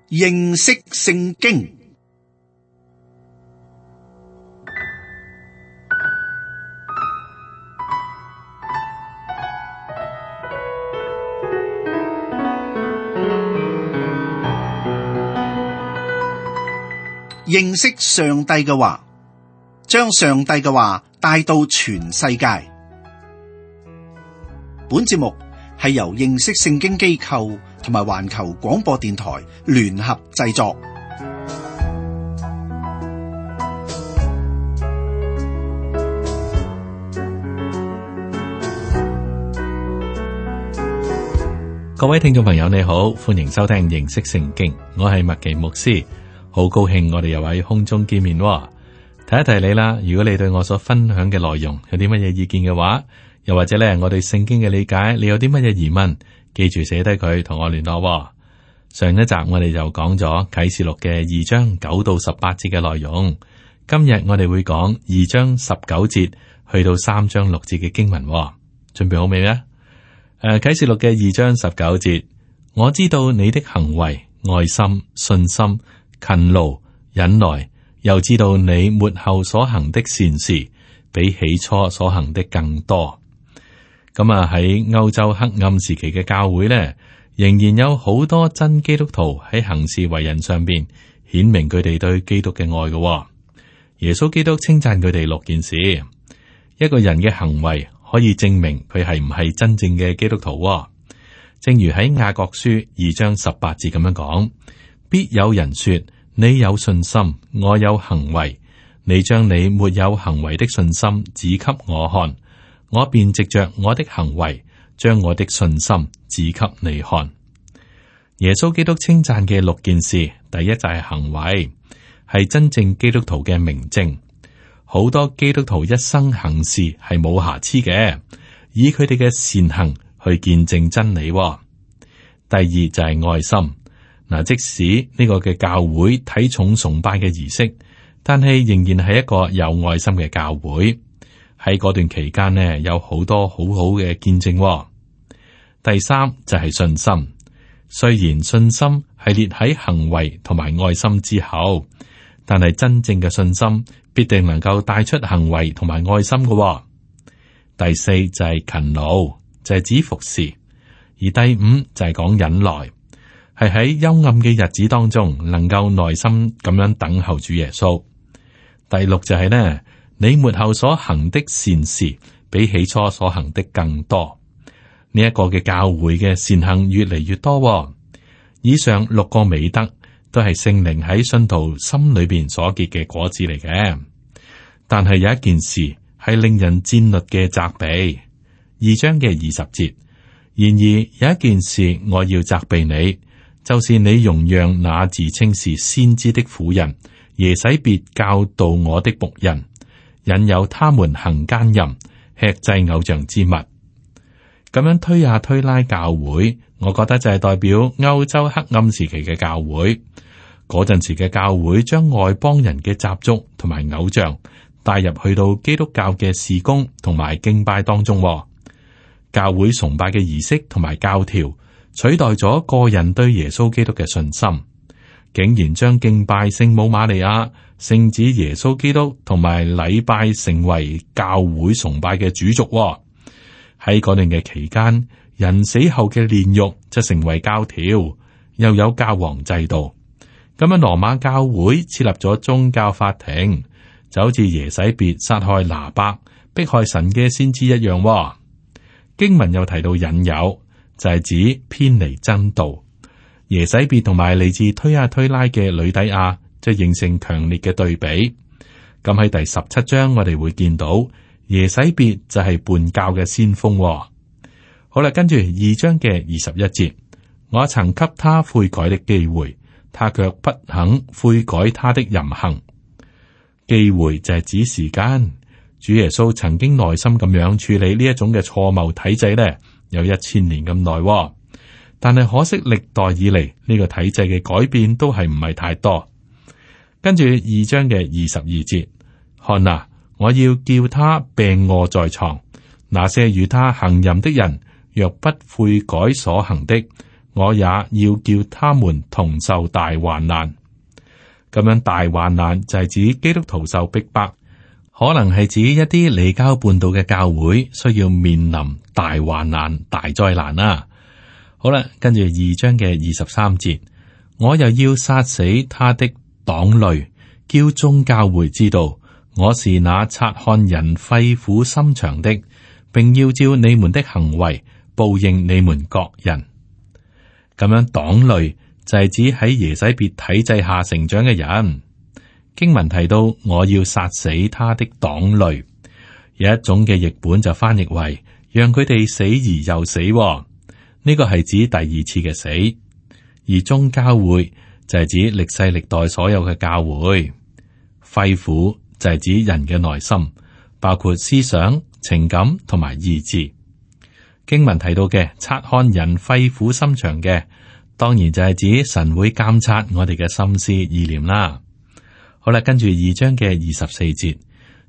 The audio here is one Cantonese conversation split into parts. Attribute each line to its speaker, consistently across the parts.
Speaker 1: 認識聖經。認識上帝嘅話，將上帝嘅話帶到全世界。本節目係由認識聖經機構同埋環球廣播電台聯合製作。
Speaker 2: 各位聽眾朋友你好，歡迎收聽認識聖經，我係麥奇牧師。好高興我哋又喺空中見面喎。提一提你啦，如果你對我所分享嘅內容有啲乜嘢意見嘅話，又或者咧我對聖經嘅理解，你有啲乜嘢疑問，記住寫低佢同我聯絡喎。上一集我哋就講咗啟示錄嘅2章9到18節嘅內容，今日我哋會講2章19節去到3章6節嘅經文喎。準備好未呢？啟示錄嘅2章19節，我知道你的行為、愛心、信心、勤勞、忍耐，又知道你末後所行的善事，比起初所行的更多。咁喺歐洲黑暗時期嘅教會呢，仍然有好多真基督徒喺行事為人上邊顯明佢哋對基督嘅愛嘅。耶穌基督稱讚佢哋6件事，一個人嘅行為可以證明佢係唔係真正嘅基督徒。正如喺雅各書2章18節咁樣講。必有人說，你有信心，我有行為，你將你沒有行為的信心指給我看，我便藉着我的行為將我的信心指給你看。耶穌基督稱讚嘅6件事，第一就係行為，係真正基督徒嘅明證。好多基督徒一生行事係冇瑕疵嘅，以佢哋嘅善行去見證真理。第二就係愛心。嗱，即使呢個嘅教會睇重崇拜嘅儀式，但係仍然係一個有愛心嘅教會。喺嗰段期間呢，有好多好好嘅見證。第三就係信心，雖然信心係列喺行為同埋愛心之後，但係真正嘅信心必定能夠帶出行為同埋愛心嘅。第四就係勤勞，就係指服侍，而第五就係講忍耐。係喺幽暗嘅日子當中，能夠耐心咁樣等候主耶穌。第六就係呢，你末後所行的善事，比起初所行的更多。呢一個嘅教會嘅善行越嚟越多。以上6個美德都係聖靈喺信徒心裏邊所結嘅果子嚟嘅。但係有一件事係令人戰慄嘅責備。2章嘅20節，然而有一件事我要責備你。就是你容讓那自稱是先知的婦人耶洗別教導我的僕人，引誘他們行奸淫，吃祭偶像之物。咁樣推下推拉教會，我覺得就係代表歐洲黑暗時期嘅教會。嗰陣時嘅教會將外邦人嘅習俗同埋偶像帶入去到基督教嘅事工同埋敬拜當中。教會崇拜嘅儀式同埋教條取代咗個人對耶穌基督嘅信心，竟然將敬拜聖母瑪利亞、聖子耶穌基督同埋禮拜成為教會崇拜嘅主軸。喺嗰段嘅期間，人死後嘅煉獄就成為教條，又有教皇制度。咁樣羅馬教會設立咗宗教法庭，就好似耶洗別殺害拿伯、迫害神嘅先知一樣。經文又提到引誘，就係指偏離真道。耶洗別同埋嚟自推亞推拉嘅呂底亞就形成強烈嘅對比。咁喺第17章我哋會見到耶洗別就係叛教嘅先鋒。好啦，跟住2章嘅21節，我曾給他悔改的機會，他卻不肯悔改他的淫行。機會就係指時間。主耶穌曾經耐心咁樣處理呢一種嘅錯謬體制呢，有1000年咁耐。但係可惜歷代以嚟呢個體制嘅改變都係唔係太多。跟住2章嘅22節，看哪，我要叫他病臥在床，那些與他行淫的人，若不悔改所行的，我也要叫他們同受大患難。咁樣大患難就係指基督徒受逼迫，可能係指一啲離經叛道嘅教會需要面臨大患難、大災難啦。好啦，跟住2章嘅23節，我又要殺死他的黨類，叫眾教會知道我是那察看人肺腑心腸的，並要照你們的行為報應你們各人。咁樣黨類就係指喺耶洗別體制下成長嘅人。經文提到我要殺死他的黨類，有一種嘅譯本就翻譯為讓佢哋死而又死，呢個係指第二次嘅死。而眾教會就係指歷世歷代所有嘅教會。肺腑就係指人嘅內心，包括思想、情感同埋意志。經文提到嘅察看人肺腑心腸嘅，當然就係指神會監察我哋嘅心思意念啦。好啦，跟住2章嘅24節，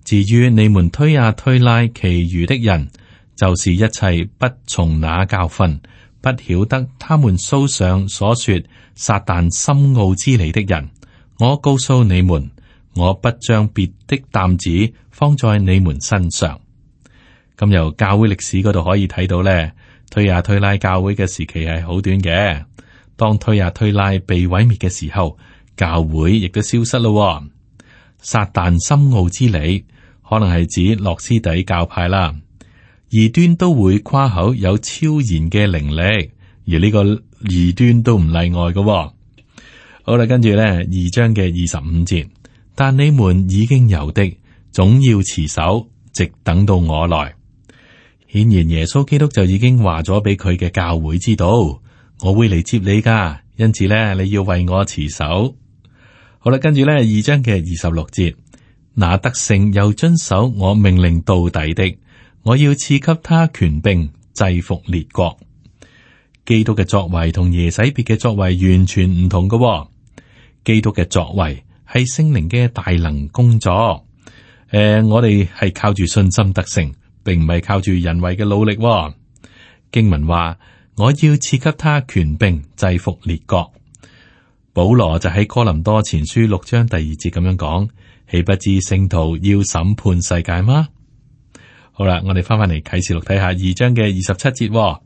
Speaker 2: 至於你們推呀推拉其餘的人，就是一切不從那教訓，不曉得他們書上所說撒旦深奧之理的人，我告訴你們，我不將別的擔子放在你們身上。咁由教會歷史嗰度可以睇到咧，推呀推拉教會嘅時期係好短嘅。當推呀推拉被毀滅嘅時候，教會亦都消失咯。撒旦深奧之理，可能係指諾斯底教派啦。異端都會誇口有超然嘅靈力，而呢個異端都唔例外嘅。好啦，跟住咧2章嘅25節，但你們已經有的，總要持守，直等到我來。顯然耶穌基督就已經話咗俾佢嘅教會知道，我會嚟接你噶，因此咧你要為我持守。好啦，跟住咧2章嘅26節，那得勝又遵守我命令到底的，我要賜給他權柄制服列國。基督嘅作為同耶洗別嘅作為完全唔同嘅。基督嘅作為係聖靈嘅大能工作。我哋係靠住信心得勝，並唔係靠住人為嘅努力。經文話，我要賜給他權柄制服列國。保羅就喺哥林多前書6章第2節咁樣講，豈不知聖徒要審判世界嗎？好啦，我哋翻返嚟啟示錄睇下2章嘅27節，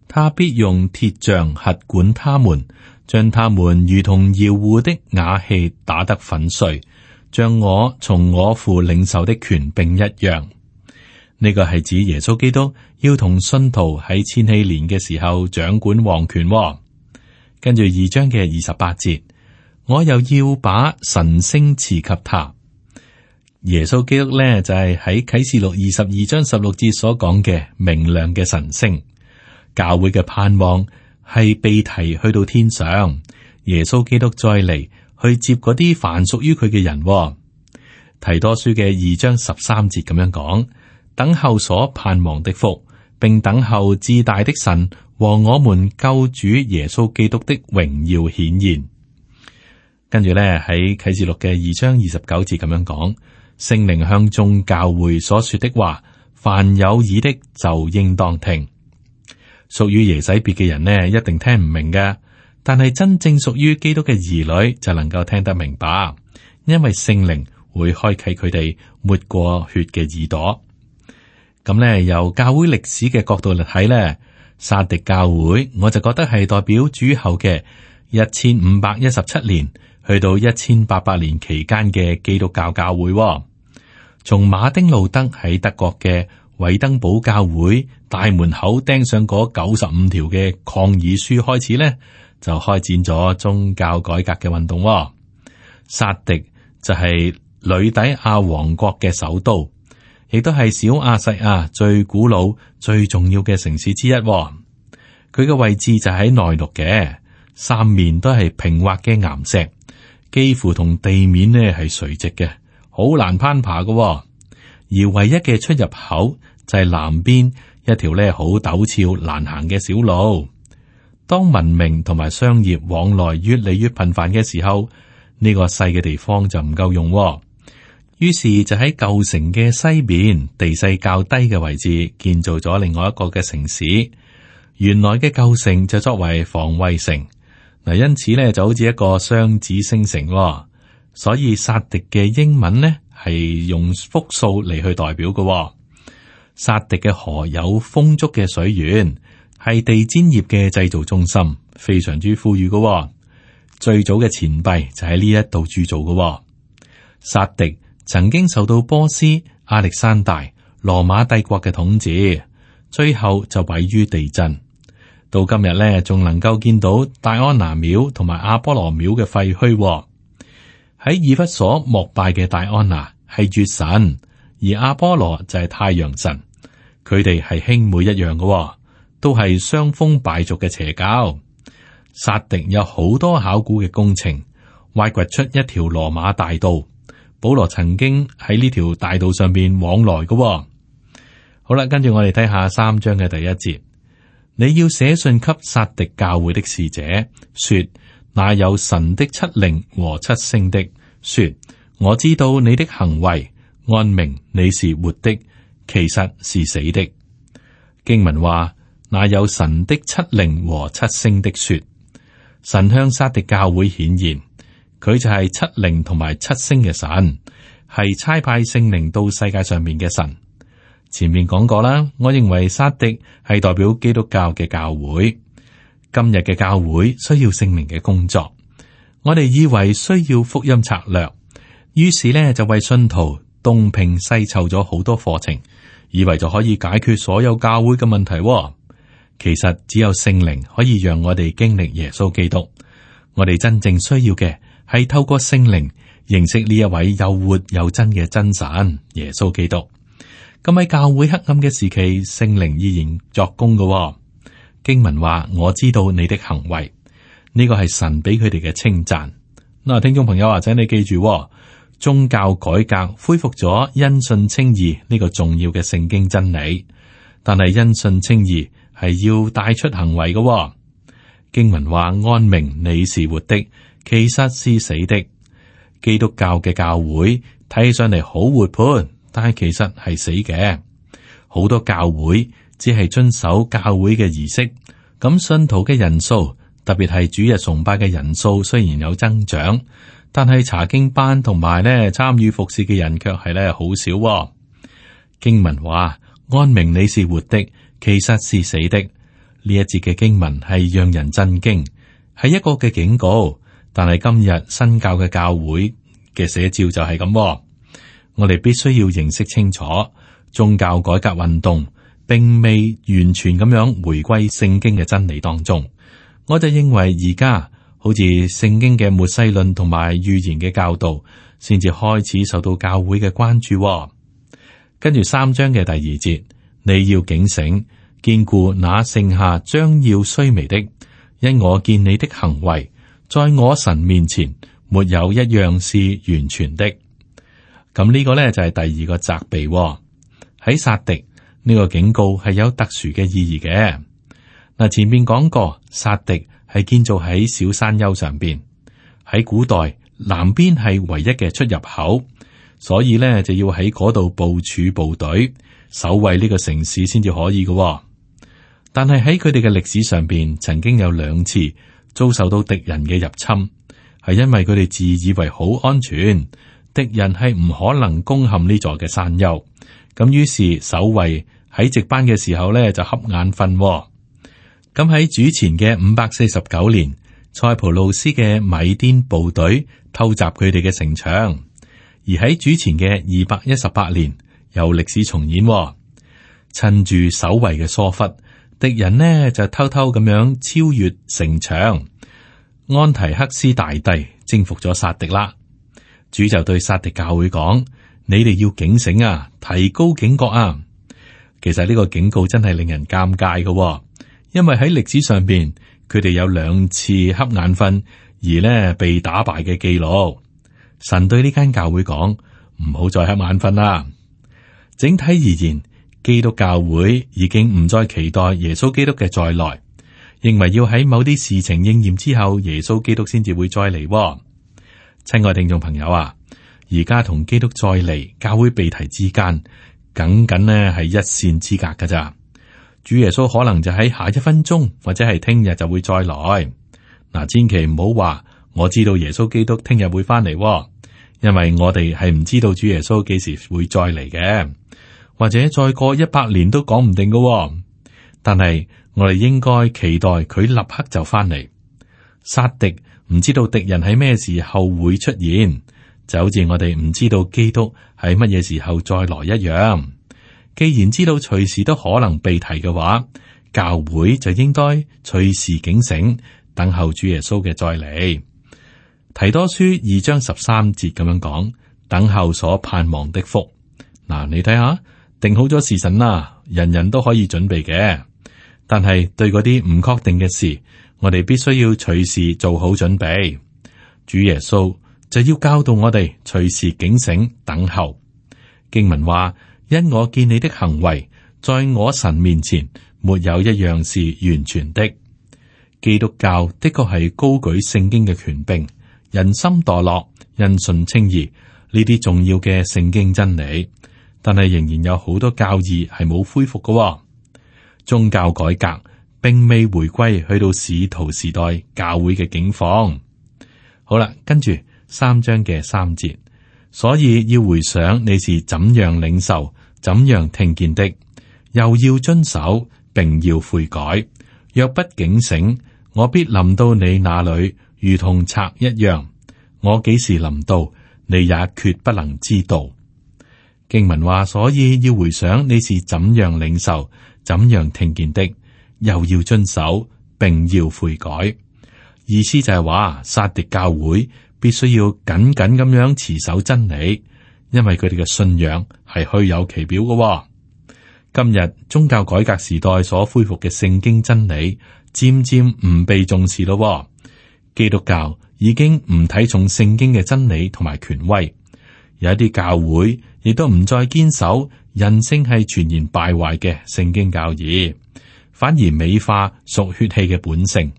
Speaker 2: 他必用鐵杖轄管他們，將他們如同窯戶的瓦器打得粉碎，像我從我父領受的權柄一樣。呢個係指耶穌基督要同信徒喺千禧年嘅時候掌管王權。跟住2章嘅28節，我又要把晨星賜給他。耶穌基督咧就係喺啟示錄22章16節所講嘅明亮嘅晨星。教會嘅盼望係被提去到天上，耶穌基督再嚟去接嗰啲凡屬於佢嘅人。提多書嘅2章13節咁樣講，等候所盼望的福，並等候至大的神和我們救主耶穌基督的榮耀顯現。跟住咧喺啟示錄嘅2章29節咁樣講，聖靈向眾教會所說的話，凡有耳的就應當聽。屬於耶洗別嘅人呢，一定聽唔明嘅，但係真正屬於基督嘅兒女就能夠聽得明白，因為聖靈會開啟佢哋抹過血嘅耳朵。咁咧，由教會歷史嘅角度嚟睇咧，撒狄教會我就覺得係代表主後嘅1517年去到1800年期間嘅基督教教會。從馬丁路德喺德國嘅韋登堡教會大門口釘上嗰95條嘅抗議書開始咧，就開展咗宗教改革嘅運動。撒狄就係呂底亞王國嘅首都，亦都係小亞細亞最古老、最重要嘅城市之一。佢嘅位置就喺內陸嘅，三面都係平滑嘅岩石，幾乎同地面呢係垂直嘅，好難攀爬嘅。而唯一嘅出入口就係南邊一條呢好陡峭難行嘅小路。當文明同埋商業往來越嚟越頻繁嘅時候，呢個細嘅地方就唔夠用。於是就喺舊城嘅西邊地勢較低嘅位置建造咗另外一個嘅城市。原來嘅舊城就作為防衛城。嗱，因此咧就好似一個雙子星城，所以撒狄嘅英文呢係用複數嚟去代表嘅。撒狄嘅河有豐足嘅水源，係地氈業嘅製造中心，非常之富裕嘅。最早嘅錢幣就喺呢一度鑄造嘅。撒狄曾經受到波斯、亞歷山大、羅馬帝國嘅統治，最後就毀於地震。到今日咧，仲能夠見到戴安娜廟同埋阿波羅廟嘅廢墟。喺以弗所膜拜嘅戴安娜係月神，而阿波羅就係太陽神。佢哋係兄妹一樣嘅，都係傷風敗俗嘅邪教。撒狄有好多考古嘅工程，挖掘出一條羅馬大道。保羅曾經喺呢條大道上邊往來嘅。好啦，跟住我哋睇下3章嘅第1節。你要寫信給撒狄教會的使者，說：那有神的7靈和7星的，說我知道你的行為，按名你是活的，其實是死的。經文話：那有神的7靈和7星的，說神向撒狄教會顯現，佢就係7靈同埋7星嘅神，係差派聖靈到世界上面嘅神。前面講過啦，我認為撒狄係代表基督教嘅教會。今日嘅教會需要聖靈嘅工作，我哋以為需要福音策略，於是呢就為信徒東拼西湊咗好多課程，以為就可以解決所有教會嘅問題。其實只有聖靈可以讓我哋經歷耶穌基督。我哋真正需要嘅係透過聖靈認識呢一位又活又真嘅真神耶穌基督。咁喺教會黑暗嘅時期，聖靈依然作工嘅。經文話：我知道你的行為，呢個係神俾佢哋嘅稱讚。嗱，聽眾朋友，或者你記住，宗教改革恢復咗因信稱義呢個重要嘅聖經真理，但係因信稱義係要帶出行為嘅。經文話：按名你是活的，其實是死的。基督教嘅教會睇起上嚟好活潑，但係其實係死嘅。好多教會只係遵守教會嘅儀式，咁信徒嘅人數，特別係主日崇拜嘅人數，雖然有增長，但係查經班同埋咧參與服侍嘅人卻係咧好少。經文話：按名你是活的，其實是死的。呢一節嘅經文係讓人震驚，係一個嘅警告。但係今日新教嘅教會嘅寫照就係咁。我哋必須要認識清楚，宗教改革運動並未完全咁樣回歸聖經嘅真理當中。我就認為而家好似聖經嘅末世論同埋預言嘅教導，先至開始受到教會嘅關注。跟住3章嘅第2節，你要警醒，堅固那剩下將要衰微的，因我見你的行為，在我神面前沒有一樣是完全的。咁呢個呢，就係第2個責備。喺撒狄呢個警告係有特殊嘅意義嘅。嗱，前面講過，撒狄係建造喺小山丘上邊，喺古代南邊係唯一嘅出入口，所以呢，就要喺嗰度部署部隊守衛呢個城市先至可以嘅。但係喺佢哋嘅歷史上邊，曾經有2次遭受到敵人嘅入侵，係因為佢哋自以為好安全。敵人係唔可能攻陷呢座嘅山丘，咁於是守衛喺值班嘅時候呢，就瞌眼瞓。咁喺主前嘅549年，塞浦路斯嘅米甸部隊偷襲佢哋嘅城牆，而喺主前嘅218年，有歷史重演。趁住守衛嘅疏忽，敵人呢就偷偷咁樣超越城牆，安提克斯大帝征服咗撒狄啦。主就對撒狄教會講：你哋要警醒啊，提高警覺啊！其實呢個警告真係令人尷尬嘅，因為喺歷史上邊，佢哋有2次瞌眼瞓而呢被打敗嘅記錄。神對呢間教會講：唔好再瞌眼瞓啦。整體而言，基督教會已經唔再期待耶穌基督嘅再來，認為要喺某啲事情應驗之後，耶穌基督先至會再嚟。親愛聽眾朋友啊，而家同基督再嚟教會被提之間，僅僅呢係一線之隔噶咋。主耶穌可能就喺下一分鐘或者係聽日就會再來。嗱，千祈唔好話我知道耶穌基督聽日會翻嚟，因為我哋係唔知道主耶穌幾時會再嚟嘅，或者再過100年都講唔定嘅。但係我哋應該期待佢立刻就翻嚟。殺敵唔知道敵人喺咩時候會出現，就好似我哋唔知道基督喺乜嘢時候再來一樣。既然知道隨時都可能被提嘅話，教會就應該隨時警醒，等候主耶穌嘅再嚟。提多書2章13節咁樣講，等候所盼望的福。嗱，你睇下，定好咗時辰啦，人人都可以準備嘅。但係對嗰啲唔確定嘅事，我哋必須要隨時做好準備。主耶穌就要教導我哋隨時警醒等候。經文話：因我見你的行為，在我神面前沒有一樣是完全的。基督教的確係高舉聖經嘅權柄，人心墮落，因信稱義呢啲重要嘅聖經真理，但係仍然有好多教義係冇恢復嘅。宗教改革並未回歸去到使徒時代教會嘅境況。好啦，跟住3章嘅3節，所以要回想你是怎樣領受、怎樣聽見的，又要遵守，並要悔改。若不警醒，我必臨到你那裏，如同賊一樣。我幾時臨到，你也決不能知道。經文話，所以要回想你是怎樣領受、怎樣聽見的，又要遵守，並要悔改。意思就係話，撒狄教會必須要緊緊咁樣持守真理，因為佢哋嘅信仰係虛有其表嘅。今日宗教改革時代所恢復嘅聖經真理，漸漸唔被重視咯。基督教已經唔睇重聖經嘅真理同埋權威，有一啲教會亦都唔再堅守人性係全然敗壞嘅聖經教義，反而美化屬血氣嘅本性。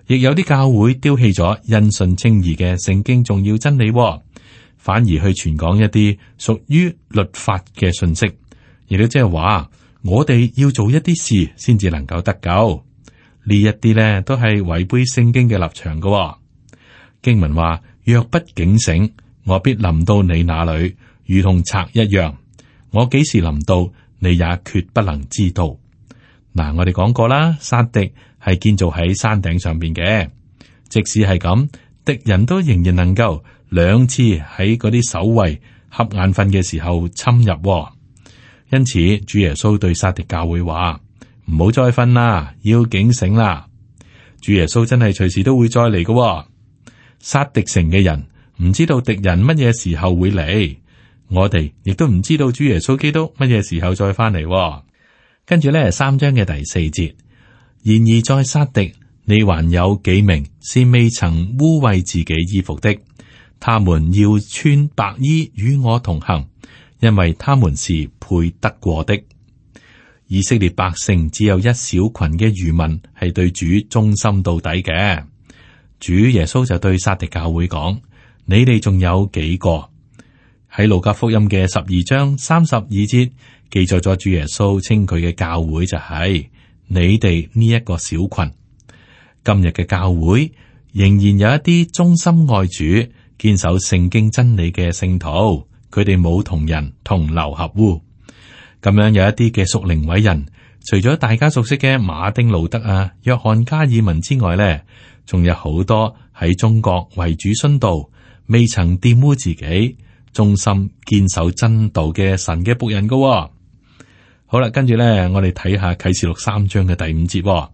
Speaker 2: 亦有啲教會丟棄咗因信稱義嘅聖經重要真理，反而去傳講一啲屬於律法嘅信息。亦都即係話，我哋要做一啲事先至能夠得救。呢一啲咧都係違背聖經嘅立場嘅。經文話：若不警醒，我必臨到你那裏，如同賊一樣。我幾時臨到，你也決不能知道。嗱，我哋講過啦，撒狄係建造喺山頂上邊嘅，即使係咁，敵人都仍然能夠2次喺嗰啲守衛瞌眼瞓嘅時候侵入。因此，主耶穌對撒狄教會話：唔好再瞓啦，要警醒啦。主耶穌真係隨時都會再嚟嘅。撒狄城嘅人唔知道敵人乜嘢時候會嚟，我哋亦都唔知道主耶穌基督乜嘢時候再翻嚟。跟住咧，3章嘅第4節，然而在撒狄，你還有幾名是未曾污穢自己衣服的，他們要穿白衣與我同行，因為他們是配得過的。以色列百姓只有一小群嘅餘民係對主忠心到底嘅。主耶穌就對撒狄教會講：你哋仲有幾個？喺路加福音嘅12章32節記載咗主耶穌稱佢嘅教會就係你哋呢一個小群。今日嘅教會仍然有一啲忠心愛主、堅守聖經真理嘅聖徒，佢哋冇同人同流合污。咁樣有一啲嘅屬靈偉人，除咗大家熟悉嘅馬丁路德啊、約翰加爾文之外咧，仲有好多喺中國為主殉道，未曾玷污自己，忠心堅守真道嘅神嘅僕人噶。好啦，跟住咧，我哋睇下啟示錄3章嘅第5節。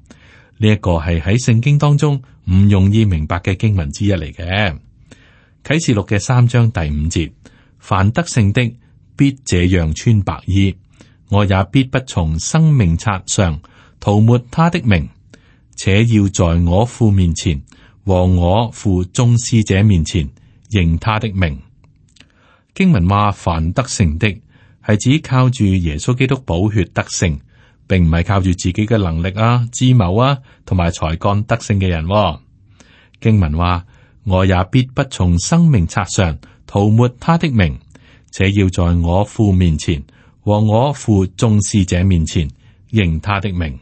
Speaker 2: 呢一個係喺聖經當中唔容易明白嘅經文之一嚟嘅。啟示錄嘅3章第5節，凡得勝的必這樣穿白衣，我也必不從生命冊上塗抹他的名，且要在我父面前和我父眾使者面前認他的名。經文話凡得勝的係指靠住耶穌基督寶血得勝，並唔係靠住自己嘅能力啊、智謀啊同埋才幹得勝嘅人。經文話我也必不從生命冊上塗抹他的名，且要在我父面前和我父眾使者面前認他的名。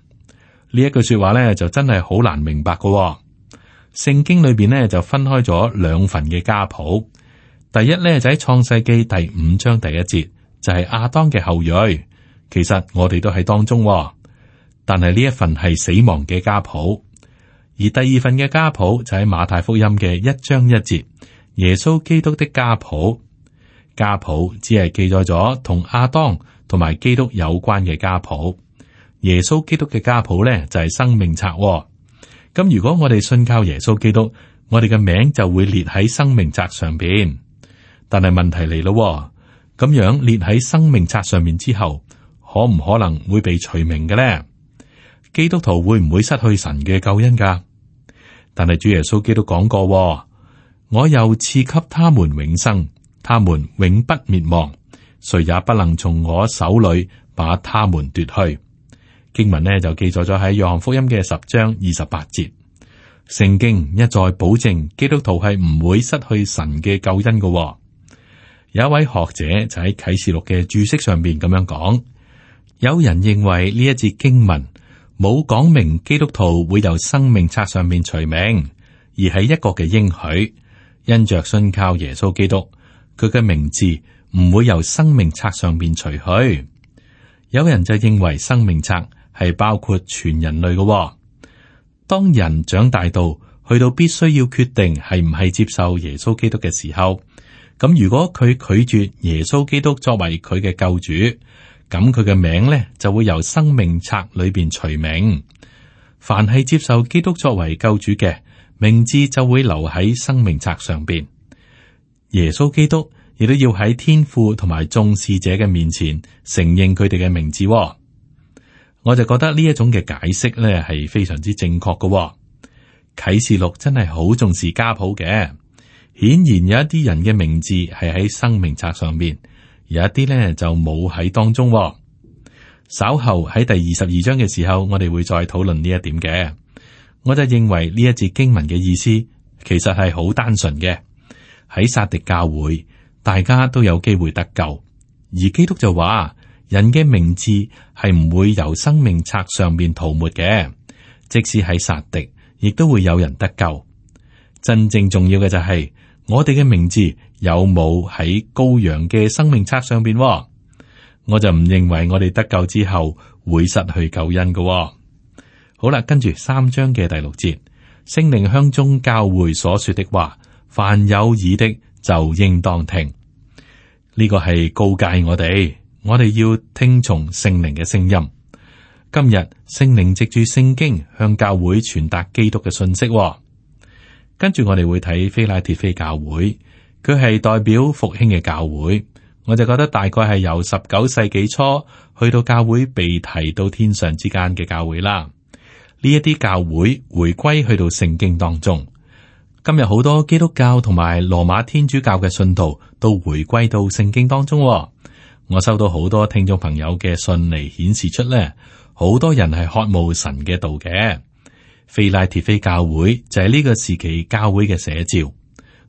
Speaker 2: 呢一句說話咧就真係好難明白㗎。聖經裏邊咧就分開咗兩份嘅家譜。第一咧就喺創世記第5章第1節，就係亞當嘅後裔。其實我哋都喺當中，但係呢一份係死亡嘅家譜。而第二份嘅家譜就喺馬太福音嘅1章1節，耶穌基督的家譜。家譜只係記載咗同亞當同埋基督有關嘅家譜。耶穌基督嘅家譜咧就係生命冊。咁如果我哋信靠耶穌基督，我哋嘅名就會列喺生命冊上邊。但係問題嚟咯，咁樣列喺生命冊上面之後，可唔可能會被除名嘅咧？基督徒會唔會失去神嘅救恩噶？但係主耶穌基督講過，我又賜給他們永生，他們永不滅亡，誰也不能從我手裏把他們奪去。經文呢就記載咗喺約翰福音嘅10章28節。聖經一再保證基督徒係唔會失去神嘅救恩嘅。有一位學者就喺啟示錄嘅注釋上邊咁樣講，有人認為呢一節經文冇講明基督徒會由生命冊上面除名，而係一個嘅應許，因着信靠耶穌基督，佢嘅名字唔會由生命冊上面除去。有人就認為生命冊係包括全人類嘅。當人長大到去到必須要決定係唔係接受耶穌基督嘅時候，咁如果佢拒絕耶穌基督作為佢嘅救主，咁佢嘅名咧就會由生命冊裏邊除名。凡係接受基督作為救主嘅，名字就會留喺生命冊上邊。耶穌基督亦都要喺天父同埋眾使者嘅面前承認佢哋嘅名字。我就覺得呢一種嘅解釋咧係非常之正確嘅。啟示錄真係好重視家譜嘅。顯然有一啲人嘅名字係喺生命冊上面，有一啲咧就冇喺當中。稍後喺第22章嘅時候，我哋會再討論呢一點嘅。我就認為呢一節經文嘅意思其實係好單純嘅。喺撒狄教會，大家都有機會得救，而基督就話人嘅名字係唔會由生命冊上面塗抹嘅，即使喺撒狄，亦都會有人得救。真正重要嘅就係我哋嘅名字有冇喺羔羊嘅生命冊上邊？我就唔認為我哋得救之後會失去救恩嘅。好啦，跟住3章嘅第6節，聖靈向眾教會所說的話，凡有耳的就應當聽。呢個係告誡我哋要聽從聖靈嘅聲音。今日聖靈藉住聖經向教會傳達基督嘅信息。跟住我哋會睇非拉鐵非教會，佢係代表復興嘅教會。我就覺得大概係由19世紀初去到教會被提到天上之間嘅教會啦。呢一啲教會回歸去到聖經當中。今日好多基督教同埋羅馬天主教嘅信徒都回歸到聖經當中。我收到好多聽眾朋友嘅信嚟顯示出咧，好多人係渴慕神嘅道嘅。非拉鐵非教會就係呢個時期教會嘅寫照。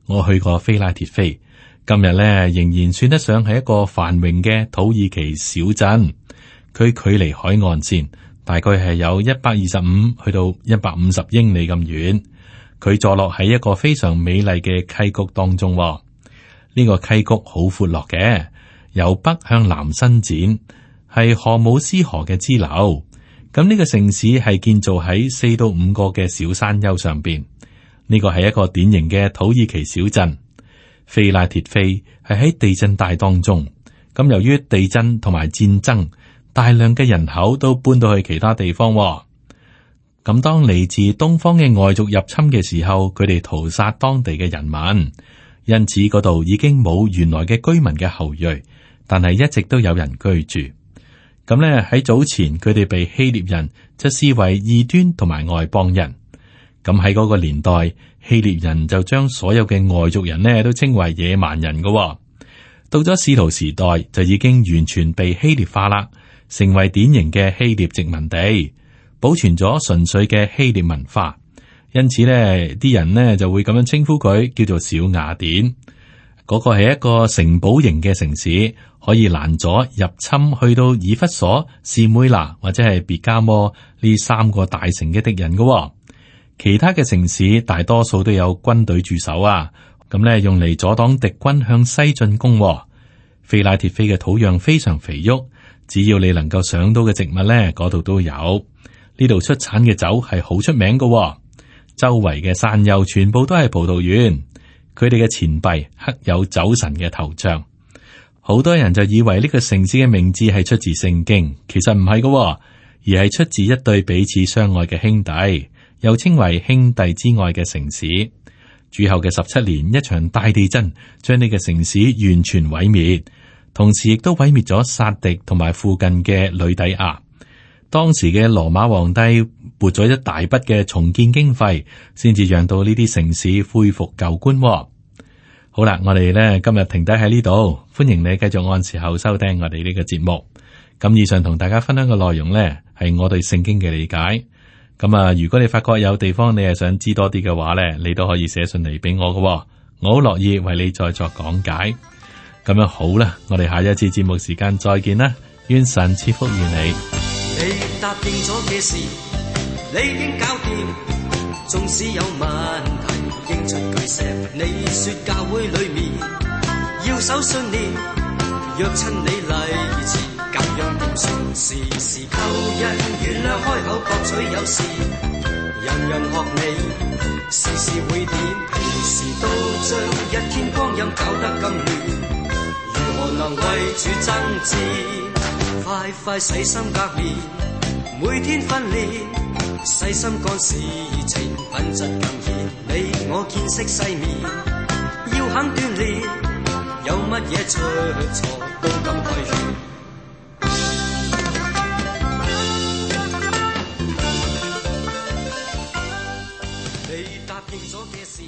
Speaker 2: 我去過非拉鐵非，今日咧仍然算得上係一個繁榮嘅土耳其小鎮。佢距離海岸線大概係有125去到150英里咁遠。佢坐落喺一個非常美麗嘅溪谷當中。呢個溪谷好闊落嘅，由北向南伸展，係荷姆斯河嘅支流。咁呢個城市係建造喺4到5個嘅小山丘上邊。呢個係一個典型嘅土耳其小鎮。非拉鐵非係喺地震帶當中。咁由於地震同埋戰爭，大量嘅人口都搬到去其他地方。咁當嚟自東方嘅外族入侵嘅時候，佢哋屠殺當地嘅人民，因此嗰度已經冇原來嘅居民嘅後裔，但係一直都有人居住。咁咧喺早前，佢哋被希臘人就視為異端同埋外邦人。咁喺嗰個年代，希臘人就將所有嘅外族人呢都稱為野蠻人嘅。到咗使徒時代，就已經完全被希臘化啦，成為典型嘅希臘殖民地，保存咗純粹嘅希臘文化。因此呢啲人呢就會咁樣稱呼佢，叫做小雅典。嗰個係一個城堡型嘅城市，可以攔阻入侵去到以弗所、士每拿或者係別加摩呢三個大城嘅敵人嘅。其他嘅城市大多數都有軍隊駐守啊，咁咧用嚟阻擋敵軍向西進攻。腓拉鐵菲嘅土壤非常肥沃，只要你能夠想到嘅植物咧，嗰度都有。呢度出產嘅酒係好出名嘅，周圍嘅山丘全部都係葡萄園。佢哋嘅錢幣刻有酒神嘅頭像。好多人就以為呢個城市嘅名字係出自聖經，其實唔係嘅，而係出自一對彼此相愛嘅兄弟，又稱為兄弟之愛嘅城市。主後嘅17年，一場大地震將呢個城市完全毀滅，同時亦都毀滅咗撒狄同埋附近嘅呂底亞。當時嘅羅馬皇帝撥咗一大筆嘅重建經費，先至讓到呢啲城市恢復舊觀。好啦，我哋咧今日停低喺呢度，歡迎你繼續按時候收聽我哋呢個節目。咁以上同大家分享嘅內容呢，係我對聖經嘅理解。咁啊，如果你發覺有地方你係想知多啲嘅話呢，你都可以寫信嚟俾我嘅，我好樂意為你再作講解。咁樣好啦，我哋下一次節目時間再見啦，願神賜福於你。
Speaker 3: 你答應咗嘅事，你已經搞掂。縱使有問題，應出巨石。你說教會裏面要守信念，若親你禮詞，咁樣點算？時時求人原諒，開口博取有時，人人學你，時時會點？平時都將一天光陰搞得咁亂，如何能為主爭戰？快快洗心革面，每天訓練，細心幹事情，品質更顯。你我見識世面，要肯鍛鍊，有乜嘢出錯都敢規勸。你答應咗嘅事。